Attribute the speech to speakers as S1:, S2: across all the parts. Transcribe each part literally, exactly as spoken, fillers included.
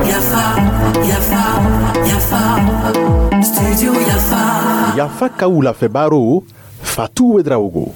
S1: Yafa, Yafa, Yafa, Studio Yafa.
S2: Yafa ka wulafɛ baro, Fatu Ouedraogo.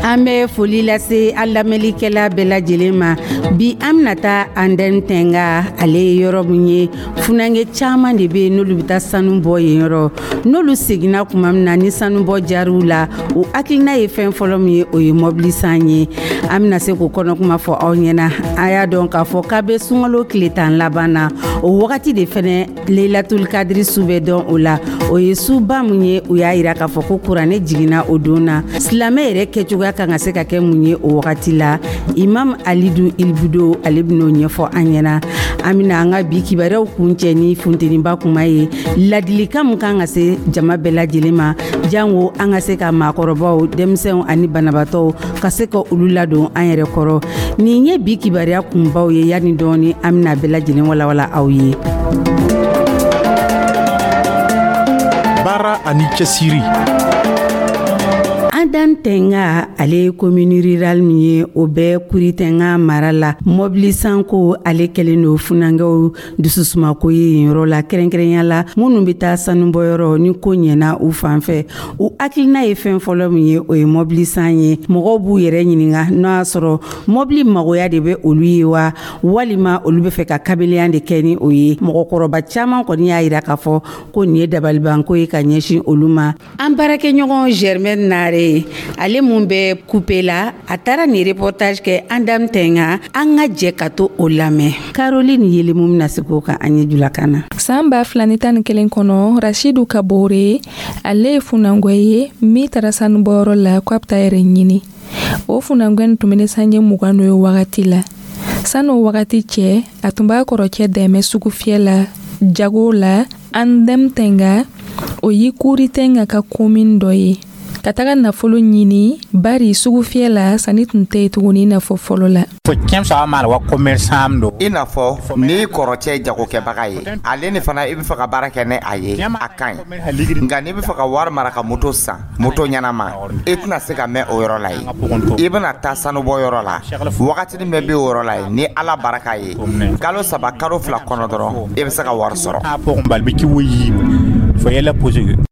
S3: An bɛ foli lase an lamɛnlikɛla bɛɛ lajɛlen ma. Bi, an bɛna taa Andɛn Tɛnga. Ale ye yɔrɔ min ye, funankɛ caman de bɛ yen n'olu bɛ taa sanu bɔ yen yɔrɔ. N'olu seginna tuma min na ni sanubɔ jar'u la, u hakilina ye fɛn fɔlɔ min ye, o ye mɔbili san ye. An bɛna se k'o kɔnɔkuma fɔ aw ɲɛna. A y'a dɔn k'a fɔ k'a bɛ sunkalo tile tan laban na. O wagati de fɛnɛ, Leilatul Kadiri su bɛ dɔn o la. O ye suba mun ye? U y'a yira k'a fɔ ko kuranɛ jiginna o don na. Silamɛ yɛrɛ kɛcogoya kan ka se ka kɛ mun ye o wagati la? Imam Alidu Ilbudo, ale ben'o ɲɛfɔ an ɲɛna. An bena an ka bi kibaruyaw kun cɛ ni funteniba kuma ye, ladilikan mun kan ka se jama bɛɛ lajɛlen ma, jango an ka se ka maakɔrɔbaw, denmisɛnw ani banabaatɔw ka se ka olu ladon an yɛrɛ kɔrɔ. Nin ye bi kibaruya kunbaw ye. Yani dɔɔni, an bena bɛɛ lajɛlen walawala aw ye.
S2: Baara ani cɛsiri.
S3: Adan Tɛnga, ale ye commune rurale min ye, o bɛ Kuritɛnga mara la. Mɔbili sanko, ale kɛlen don funankɛw dususumako ye yen yɔrɔ la, kɛrɛnkɛrɛnya la minnu bɛ taa sanubɔyɔrɔ. Ni ko ɲɛna u fan fɛ, u hakilina ye fɛn fɔlɔ min ye, o ye mɔbili san ye. Mɔgɔw b'u yɛrɛ ɲininka n'o y'a sɔrɔ mɔbili magoya de bɛ olu ye wa, walima olu bɛ fɛ ka kabilenya de kɛ ni o ye. Mɔgɔkɔrɔba caman kɔni y'a yira k'a fɔ ko nin ye dabalibanko ye ka ɲɛsin olu ma. An baarakɛɲɔgɔn Germaine Nare, ale mun bɛ kupe la, a taara nin reportage kɛ Andam Tɛnga. An ka jɛ ka to o lamɛn. Caroline Yelimu bɛna se k'o kan an ye julakan na.
S4: San ba fila ni tan ni kelen kɔnɔ, Rashidu Kabore, ale ye funangɔ ye min taara sanubɔyɔrɔ la ko a bɛ taa yɛrɛ ɲini. O funangɔ nin tun bɛ ne sanji mugan n'o ye wagati la. San'o wagati cɛ, a tun b'a kɔrɔcɛ dɛmɛ sugufiyɛ la, jago la. Andɛm Tɛnga, o ye Kuri Tɛnga ka komin dɔ ye, ka taga nafolo ɲini, bari sugufiyɛ la sanni tun tɛ yen tuguni i n'a fɔ fɔlɔ la.
S5: I n'a fɔ n'i kɔrɔcɛ ye jagokɛbaga ye, ale ni fana i bɛ fɛ ka baara kɛ ni a ye, a ka ɲi. Nka n'i bɛ fɛ ka wari mara ka moto san, moto ɲɛnama, i tɛna se ka mɛn o yɔrɔ la yen. I bɛna taa sanubɔyɔrɔ la, wagatinin bɛɛ bɛ o yɔrɔ la yen. Ni Ala barika ye, kalo saba, kalo fila kɔnɔ dɔrɔn, i bɛ se ka wari sɔrɔ.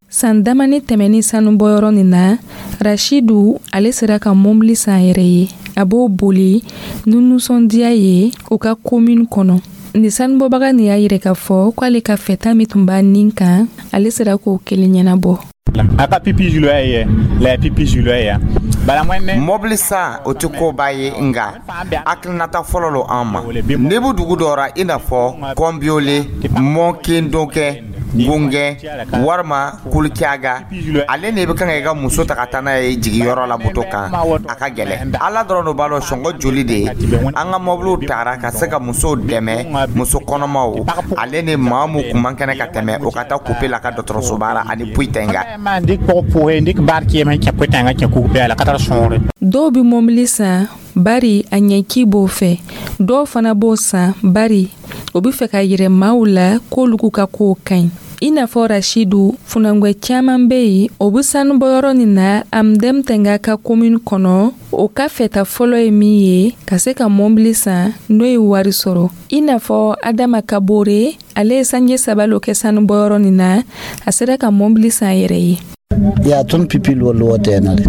S4: San damani tɛmɛni sanubɔyɔrɔ nin na, Rashidu, ale sera ka mɔbili san yɛrɛ ye. A b'o boli ni nisɔndiya ye u ka komini kɔnɔ. Nin sanubɔbaga nin y'a yira k'a fɔ k'ale ka fɛta min tun b'a nin kan, ale sera k'o kelen ɲɛnabɔ.
S5: Mɔbili san, o tɛ koba ye, nka hakilinata fɔlɔ lo an ma. N'i bɛ dugu dɔ ra, i n'a fɔ Kɔnbiyole, Mɔkendokɛ, Gungɛ walima Kulukiyaga, ale ni i bɛ kan ka i ka muso ta ka taa n'a ye jigiyɔrɔ la moto kan, a ka gɛlɛn. Ala dɔrɔn de b'a dɔn sɔngɔ joli de ye an ka mɔbiliw tara ka se ka musow dɛmɛ, muso kɔnɔmaw ale ni maa mun kun man kɛnɛ ka tɛmɛ o ka taa kupe la ka dɔgɔtɔrɔsoba la ani Puyitenga.
S4: Dɔw bɛ mɔbili san bari a ɲɛci b'o fɛ. Dɔw fana b'o san bari o bɛ fɛ ka yɛrɛ maaw la k'olu ka kow ka ɲi, i n'a fɔ Rashidu. Funangwɛ caman bɛ yen, o bɛ sanubɔyɔrɔ nin na Amdɛm Tɛnga ka komini kɔnɔ. O ka fɛta fɔlɔ ye min ye, ka se ka mɔbili san n'o ye wari sɔrɔ, i n'a fɔ Adama Kabore. Ale ye sanji saba lo kɛ sanubɔyɔrɔ nin na, a sera ka mɔbili san yɛrɛ ye.
S6: Yaa tõnd pipi loor loor tɛɛnã de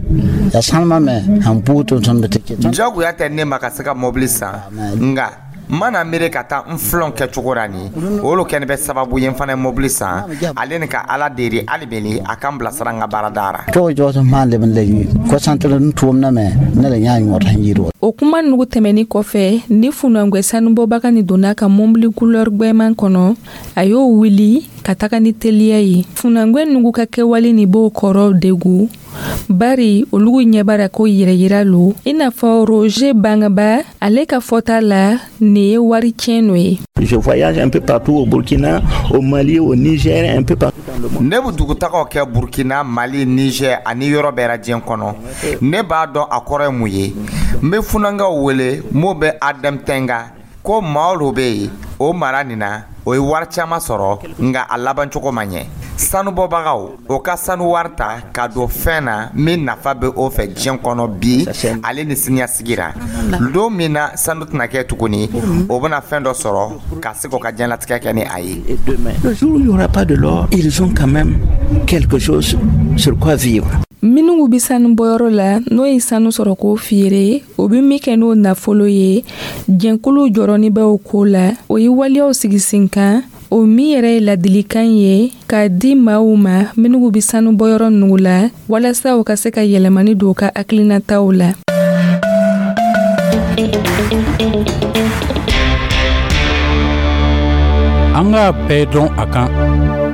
S6: yaa sãlma me sãn buud tɩ tõnd tɩ
S5: Jagoya tɛ ne ma ka se ka mɔbili san, nka n mana miiri ka taa n filɔn kɛcogo la nin, o lo kɛni bɛ sababu ye n fana ye mɔbili san. Ale ni ka Ala deri hali beni a kan bilasira n ka baarada ra.
S6: Tog jaoos n maan leb n la kosãn tɩ n tʋʋmdã me ne la yãa yõod sẽn yir wa.
S4: O kuma nugu tɛmɛni kɔfɛ, ni funangwɛ sanubɔbaga ni donna ka mɔbili couleur gwɛman kɔnɔ, a y'o wuli ka taga ni teliya ye. Funangwɛ nugu ka kɛwale ni b'o kɔrɔ degu, bari olugu ɲɛbara ko yɛrɛyira lo, i n'a fɔ Roger Bangaba, ale ka fɔta la, nin ye wari tiɲɛ no ye.
S7: Je voyage un peu partout au Burkina, au Mali, au Niger, un peu partout dans le monde.
S5: Ne bɛ dugutagaw kɛ Burkina, Mali, Niger ani yɔrɔ bɛɛ la diɲɛ kɔnɔ. Ne b'a dɔn a kɔrɔ ye mun ye. N bɛ funankaw wele mun bɛ Adam Tɛnga ko maa lo bɛ yen o mara nin na, o ye wari caman sɔrɔ, nka a labancogo ma ɲɛ. Sanubɔbagaw o ka sanu wari ta ka don fɛn na min nafa bɛ o fɛ diɲɛ kɔnɔ bi, ale ni siniɲɛsigi ra. Don min na sanu tɛna kɛ tuguni, o bɛna fɛn dɔ sɔrɔ ka se k'o ka diɲɛlatigɛ kɛ ni a ye.
S7: Et demain, le jour où il n'y aura pas de l'or, ils ont quand même quelque chose sur quoi vivre.
S4: Minnu bɛ sanu bɔyɔrɔ la, n'o ye sanu sɔrɔ k'o feere, o bɛ min kɛ n'o nafolo ye, jɛnkulu jɔrɔni bɛ o ko la. O ye waleyaw sigi sen kan, o min yɛrɛ ye ladilikan ye k'a di maaw ma minnu bɛ sanu bɔyɔrɔ ninnu la, walasa u ka se ka yɛlɛmani don u ka hakilinataw la.
S8: An k'a bɛɛ dɔn a kan.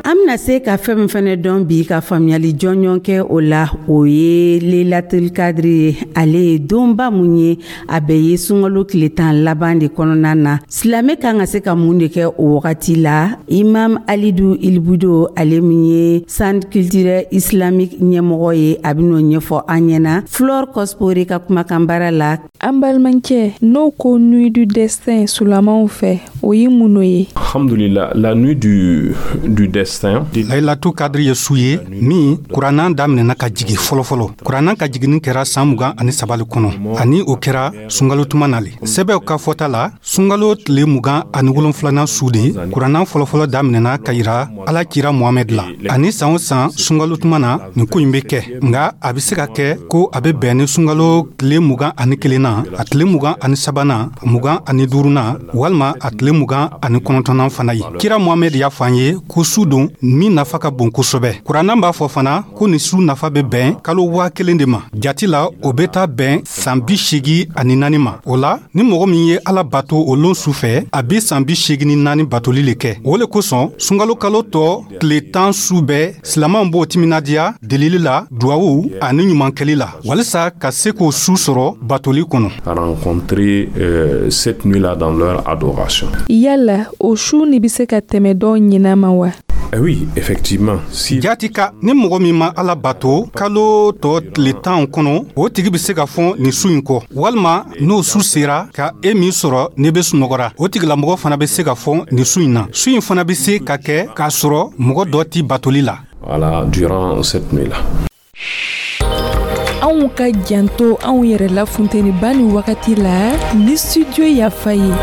S3: An bɛna se ka fɛn min fɛnɛ dɔn bi, ka faamuyali jɔnjɔn kɛ o la, o ye Lelatul Kadiri ye. Ale ye donba mun ye, a bɛ ye sunkalo tile tan laban de kɔnɔna na. Silamɛ kan ka se ka mun de kɛ o wagati la? Imam Alidu Ilibudo, ale min ye Centre culturel islamique ɲɛmɔgɔ ye, a bɛn'o ɲɛfɔ an ɲɛna Flore Kɔspore ka kumakan baara la.
S4: An balimakɛ, n'o ko Nuit du Destin sulamaw fɛ, o ye mun ye?
S9: Alhamdulillah, la nuit du, du destin.
S8: Lailatu Kadiri ye su ye min Kuranna daminɛna ka jigi fɔlɔfɔlɔ. Kuranna ka jiginni kɛra san mugan ani saba le kɔnɔ, ani o kɛra sunkalo tuma na le. Sɛbɛw ka fɔta la, sunkalo tile mugan ani wolonfilanan su de Kuranna fɔlɔfɔlɔ daminɛna ka yira Ala cira Mohamɛd la. Ani san o san sunkalo tuma na, nin ko ɲi be kɛ. Nga a be se ka kɛ ko a be bɛn ni sunkalo tile mugan ani kelenna, a tile mugan ani sabanan, mugan ani duurunan, walima a tile mugan ani kɔnɔntɔnnan fana ye. Kira Mohamɛd y'a fɔ an ye ko su don min nafa ka bon kosɛbɛ. Kuranna b'a fɔ fana ko nin su nafa bɛ bɛn kalo waa kelen de ma. Jati la, o bɛ taa bɛn san bi seegi ani naani ma. O la, ni mɔgɔ min ye Ala bato o lon su fɛ, a bi san bi seegi ni naani batoli le kɛ. O le kosɔn, sunkalo kalo tɔ tile tan su bɛɛ, silamanw b'o timinadiya delili la, duwawu ani ɲumankɛli la, walisa ka se k'o su sɔrɔ batoli kɔnɔ.
S9: Rencontrer euh, cette nuit-là dans leur adoration.
S4: Yala o su ni bɛ se ka tɛmɛ dɔw ɲinan ma wa?
S9: Eh oui, effectivement. Si
S8: Jati ka, ni mɔgɔ min ma Ala bato kalo tɔ tile tan kɔnɔ, o tigi bɛ se ka fɔn nin su in kɔ, walima n'o su sera ka e min sɔrɔ n'i bɛ sunɔgɔra, o tigilamɔgɔ fana bɛ se ka fɔn nin su in na. Su in fana bɛ se ka kɛ k'a sɔrɔ mɔgɔ dɔ ti batoli la.
S9: Voilà, durant cette nuit-là.
S4: Anw ka janto anw yɛrɛ la funteniba ni wagati la ni Studio Yafa ye.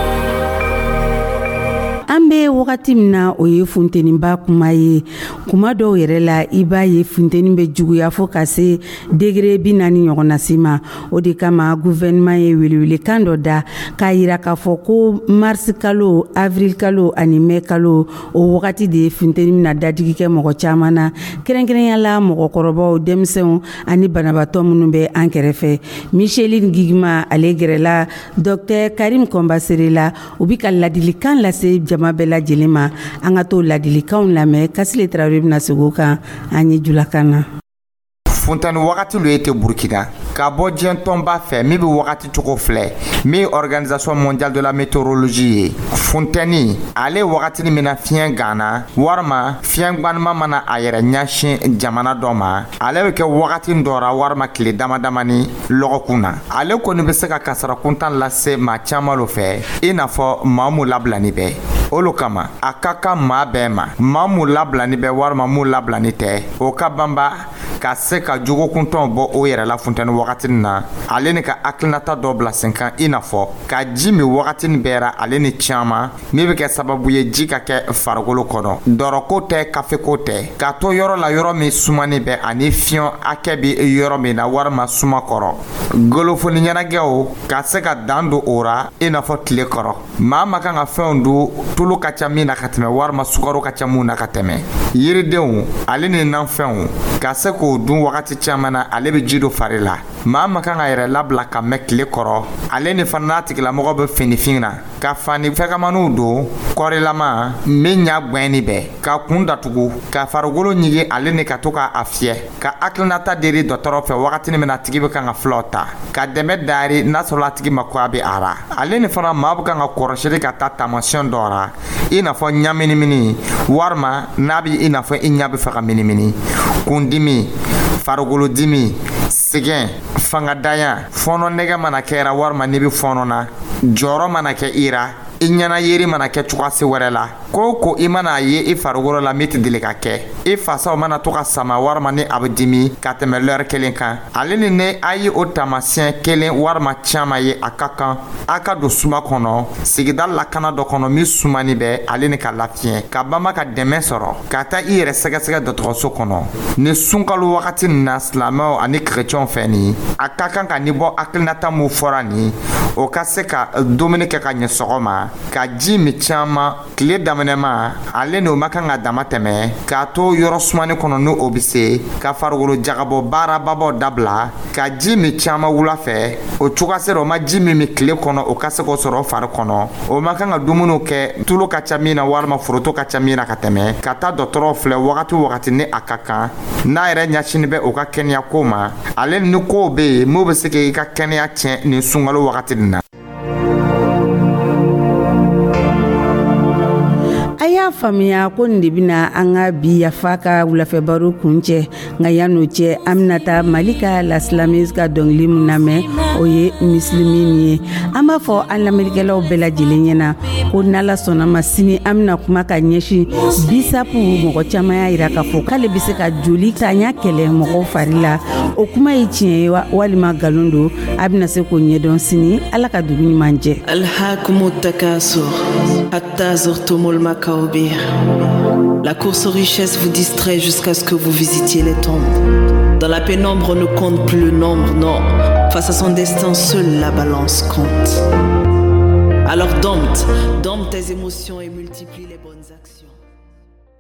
S3: An bɛ wagati min na, o ye funteniba kuma ye. Kuma dɔw yɛrɛ la, i b'a ye funteni bɛ juguya fo ka se degré bi naani ɲɔgɔnna si ma. O de kama, gouvernement ye welewelekan dɔ da k'a yira k'a fɔ ko mars kalo, avril kalo ani mai kalo, o wagati de ye funteni bɛna dadigi kɛ mɔgɔ caman na, kɛrɛnkɛrɛnya la mɔgɔkɔrɔbaw, denmisɛnw ani banabaatɔ minnu bɛ an kɛrɛfɛ. Micheline Gigima, ale gɛrɛla docteur Karim Kɔnbasere la, u bi ka ladilikan lase jama bɛɛ lajɛlen ma. An ka t'o ladilikanw lamɛn. Kasile Tarawele bɛna segin o kan an ye julakan na.
S5: Funteni wagati lo ye tɛ Burkina ka bɔ diɲɛ tɔnba fɛ min bɛ wagati cogo filɛ, min ye Organisation mondiale de la météorologie ye. Funteni ale wagatini min na fiɲɛ ganna walima fiɲɛ gwanima mana a yɛrɛ ɲɛsin jamana dɔ ma, ale bɛ kɛ wagati dɔ ra walima tile dama damani lɔgɔkun na. Ale kɔni bɛ se ka kasara kuntan lase maa caman lo fɛ, i n'a fɔ maa mun labilani bɛ. O lo kama, a ka kan maa bɛɛ ma, maa mun labilani bɛ walima mun labilani tɛ, o ka banba ka se ka jogokuntɔnw bɔ o yɛrɛ la funteni wagatinin na, ale ni ka hakilinata dɔ bila sen kan, i n'a fɔ ka ji min wagatinin bɛɛ ra, ale ni caman min bɛ kɛ sababu ye ji ka kɛ farikolo kɔnɔ. Dɔrɔko tɛ, kafeko tɛ, ka to yɔrɔ la yɔrɔ min sumani bɛ ani fiɲɛ hakɛ bɛ yɔrɔ min na walima suma kɔrɔ. Golofoni ɲɛnajɛw ka se ka dan don o ra, i n'a fɔ tile kɔrɔ maa ma kan ka fɛnw dun tulu ka ca min na ka tɛmɛ walima sukaro ka ca mun na ka tɛmɛ. Yiridenw ale ni nafɛnw ka se k'o dun wagati caman na, ale bɛ ji don fari la. Maa ma kan ka yɛrɛ labila ka mɛn tile kɔrɔ, ale ni fana n'a tigilamɔgɔ bɛ finifin na, ka fani fɛgɛmaniw don kɔrilama min ɲa gwɛnni bɛɛ, ka kun datugu, ka farikolo ɲigi, ale ni ka to k'a fiyɛ, ka hakilinata deri dɔgɔtɔrɔ fɛ wagatinin min na a tigi bɛ kan ka fulaw ta, ka dɛmɛ dari n'a sɔrɔ a tigi mako a bɛ a ra. Ale ni fana maa bɛ kan ka kɔrɔsili ka taa taamasiyɛn dɔ ra, i n'a fɔ ɲaminimini, walima n'a bɛ i n'a fɔ i ɲɛ bɛ fɛ ka minimini, kundimi, farikolodimi, sɛgɛn, fangadanya, fɔɔnɔ nɛgɛ mana kɛra walima n'i bɛ fɔɔnɔ na, jɔyɔrɔ mana kɛ i ra. I ɲɛna yeri mana kɛ cogoya wɛrɛ la, ko o ko i mana a ye i farikolo la min tɛ deli ka kɛ, i fasaw mana to ka sama walima ni a bɛ dimi ka tɛmɛ lɛri kelen kan, ale ni ne a ye o taamasiyɛn kelen walima caman ye, a ka kan a ka don suma kɔnɔ, sigida lakana dɔ kɔnɔ min sumani bɛ ale ni ka lafiɲɛ, ka banba ka dɛmɛ sɔrɔ, ka taa i yɛrɛ sɛgɛsɛgɛ dɔgɔtɔrɔso kɔnɔ. Ni sunkalo wagati nin na, silamɛw ani kerecɛnw fɛ nin, a ka kan ka ni bɔ hakilinata mun fɔra nin, o ka se ka dumuni kɛ ka ɲɛ sɔgɔma, ka ji min caman tile daminɛma, ale ni o ma kan ka dama tɛmɛ, k'a to yɔrɔ sumani kɔnɔ ni o bɛ se, ka farikolo jagabɔ baarababaw dabila, ka ji min caman wula fɛ. O cogoya sera o ma ji min min tile kɔnɔ, o ka se k'o sɔrɔ fari kɔnɔ. O ma kan ka dumuniw kɛ tulu ka ca min na walima foroto ka ca min na ka tɛmɛ, ka taa dɔgɔtɔrɔw filɛ wagati o wagati ni a ka kan, n'a yɛrɛ ɲɛsinin bɛ o ka kɛnɛya ko ma, ale ni kow bɛ yen mun bɛ se k'i ka kɛnɛya tiɲɛ nin sunkalo wagati nin na.
S3: A y'a faamuya ko nin de bɛna an ka bi Yafa ka wulafɛbaro kun cɛ. Nka yan'o cɛ, an bɛna taa Malika la slameuse ka dɔnkili min lamɛn, o ye Misilimin ye. An b'a fɔ an lamɛnnikɛlaw bɛɛ lajɛlen ɲɛna ko n'Ala sɔnna ma, sini an bɛna kuma ka ɲɛsin bisapu. Mɔgɔ caman y'a yira k'a fɔ k'ale bɛ se ka joli tanya kɛlɛ mɔgɔw fari la. O kuma ye tiɲɛ ye walima nkalon don? A bɛna se k'o ɲɛdɔn sini. Ala ka dugu ɲuman jɛ.
S10: ألهاكم التكاثر حتى زرتم المقابر. La course aux richesses vous distrait jusqu'à ce que vous visitiez les tombes. Dans la pénombre, on ne compte plus le nombre, non. Face à son destin, seule la balance compte. Alors dompte, dompte tes émotions et multiplie les bonnes actions.